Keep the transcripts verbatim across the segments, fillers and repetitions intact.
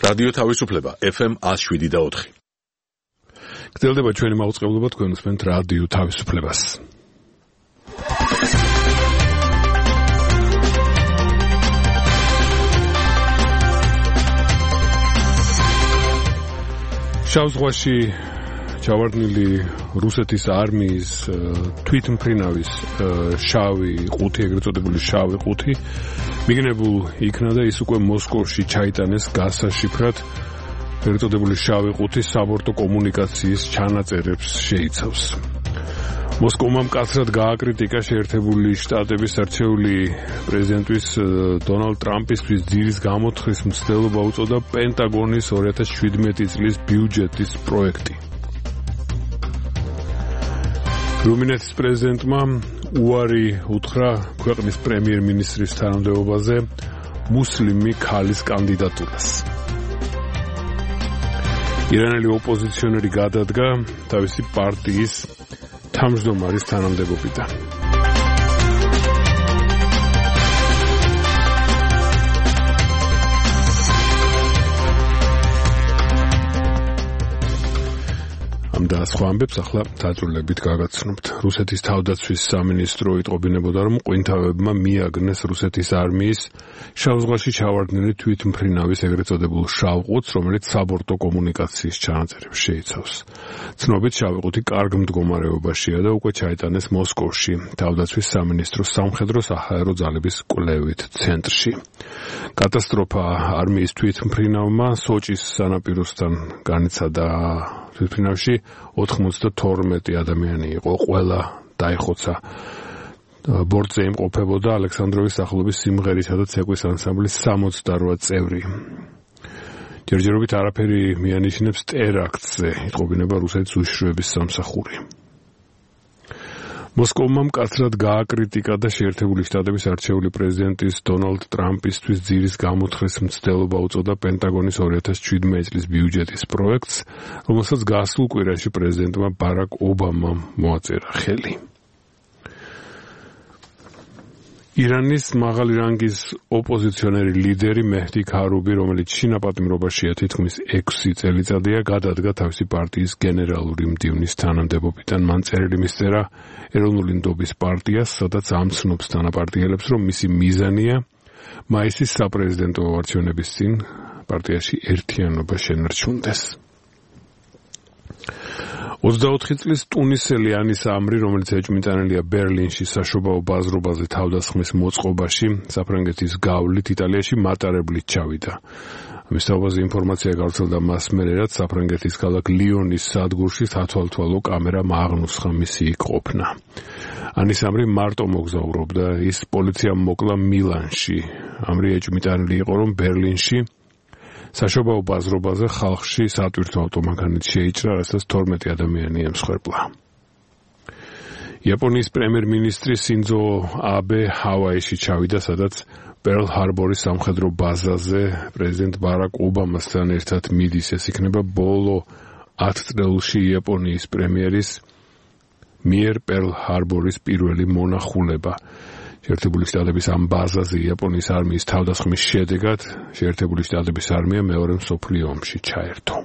რადიო თავისუფლება ეფ ემ one oh seven და four. გრძელდება ჩვენი მაუწყებლობა, თქვენ უსმენთ რადიო თავისუფლებას. შავ ზღვაში ჩავარდნილი რუსეთის არმიის თვითმფრინავის შავი ყუთი, ეგრეთ წოდებული შავი ყუთი მიგნებულ იქნა და ის უკვე მოსკოვში ჩაიტანეს გასაშიფრად. ეგრეთ წოდებული შავი ყუთი საბორტო კომუნიკაციის ჩანაწერებს შეიცავს. მოსკოვმა მკაცრად გააკრიტიკა შეერთებული შტატების არჩეული პრეზიდენტის დონალდ ტრამპისთვის ძირის გამოთხრის მცდელობა უწოდა პენტაგონის two thousand seventeen წლის ბიუჯეტის პროექტი. რუმინეთის პრეზიდენტმა უარი უთხრა ქვეყნის პრემიერ-მინისტრის თანამდებობაზე მუსლიმი ქალის კანდიდატურას. ირანელი ოპოზიციონერი გადადგა თავისი პარტიის თავმჯდომარის თანამდებობიდან. ამ და სხვა ამბებს ახლა დაძრულებით გაგაცნობთ. რუსეთის თავდაცვის სამინისტრო იტყობინებოდა, რომ ყვინთავებმა მიაგნეს რუსეთის არმიის შავ ზღვაში ჩავარდნილი თვითმფრინავის ეგრეთ წოდებულ შავ ყუთს, რომელიც საბორტო კომუნიკაციის ჩანაწერებს შეიცავს. ცნობით შავი ყუთი კარგ მდგომარეობაშია და უკვე ჩაიტანეს მოსკოვში თავდაცვის სამინისტროს სამხედრო-საჰაერო ძალების კვლევით ცენტრში. კატასტროფა არმიის თვითმფრინავმა სოჭის სანაპიროსთან განიცადა. თვითმფრინავში ოთხმოცდათორმეტი ადამიანი იყო, ყველა დაიხოცა. ბორტზე იმყოფებოდა ალექსანდროვის სახელობის სიმღერისა და ცეკვის ანსამბლის სამოცდაოთხ წევრი. ჯერჯერობით არაფერი მიანიშნებს ტერაქტზე, იტყობინება რუსეთის უშიშროების სამსახური. მოსკოვმა მკაცრად გააკრიტიკა და შეერთებული შტატების არჩეული პრეზიდენტის დონალდ ტრამპისთვის ძირის გამოთხრის მცდელობა უწოდა პენტაგონის two thousand seventeen წლის ბიუჯეტის პროექტს, რომელსაც გასულ კვირაში პრეზიდენტმა ბარაკ ობამამ მოაწერა ხელი. ირანის მაღალი რანგის ოპოზიციონერი ლიდერი მეჰდი ქარუბი, რომელიც შინაპატიმრობაშია თითქმის ექვსი წელიწადია, გადადგა თავისი პარტიის გენერალური მდივნის თანამდებობიდან. მან წერილი მისწერა ეროვნული ნდობის პარტიას, სადაც ამცნობს თანაპარტიელებს, რომ მისი მიზანია მაისის საპრეზიდენტო არჩევნების წინ პარტიაში ერთიანობა შენარჩუნდეს. ოცდაოთხი წლის ტუნისელი ანის ამრი, რომელიც ეჭვმიტანილია ბერლინში საშობაო ბაზრობაზე თავდასხმის მოწყობაში, საფრანგეთის გავლით იტალიაში მატარებლით ჩავიდა. ამის თავაზე ინფორმაცია გავრცელდა მას მერე, რაც საფრანგეთის ქალაქ ლიონის სადგურში სათვალთვალო კამერამ აღნუსხა მისი იქ ყოფნა. ანის ამრი მარტო მოგზაურობდა, ის პოლიციამ მოკლა მილანში. ამრი ეჭვმიტანილი იყო, რომ ბერლინში საშობაო ბაზრობაზე ხალხში სატვირთო ავტომანქანით შეიჭრა, რასაც თორმეტი ადამიანი ემსხვერპლა. იაპონიის პრემიერ-მინისტრი სინძო აბე ჰავაიში ჩავიდა, სადაც პერლ ჰარბორის სამხედრო ბაზაზე პრეზიდენტ ბარაკ ობამასთან ერთად მიდის. ეს იქნება ბოლო ათ წელში იაპონიის პრემიერის მიერ პერლ ჰარბორის პირველი მონახულება. შეერთებული შტატების ამ ბაზაზე იაპონიის არმიის თავდასხმის შედეგად შეერთებული შტატების არმია მეორე მსოფლიო ომში ჩაერთო.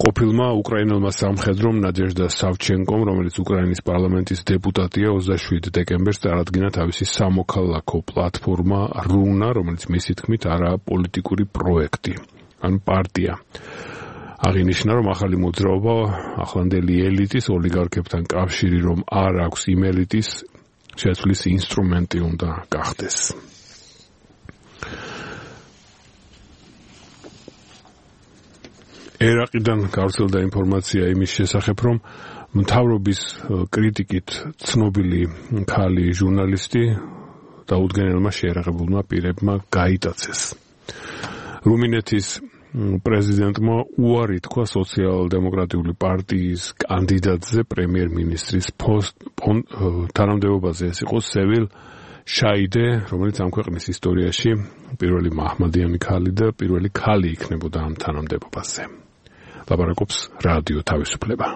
ყოფილმა უკრაინელმა სამხედრომ ნადეჟდა სავჩენკომ, რომელიც უკრაინის პარლამენტის დეპუტატია, ოცდაშვიდ დეკემბერს წარადგინა თავისი სამოქალაქო პლატფორმა რუნა, რომელიც მისი თქმით არაა პოლიტიკური პროექტი, ან პარტია. აღინიშნა, რომ ახალი მოძრაობა ახლანდელი ელიტის ოლიგარქებთან კავშირი რომ არ აქვს იმ ელიტის შეცვლის ინსტრუმენტი უნდა გახდეს. ერაყიდან გავრცელდა ინფორმაცია იმის შესახებ, რომ მთავრობის კრიტიკით ცნობილი ქალი ჟურნალისტი დაუდგენელმა შეერაღებულმა პირებმა გაიტაცეს. რუმინეთის პრეზიდენტმა უარი თქვა სოციალ-დემოკრატიული პარტიის კანდიდატზე პრემიერ-მინისტრის თანამდებობაზე. ეს იყო სევილ შაიდე, რომელიც ამ ქვეყნის ისტორიაში პირველი მაჰმადიანი ქალი და პირველი ქალი იქნებოდა ამ თანამდებობაზე. ლაპარაკობს რადიო თავისუფლება.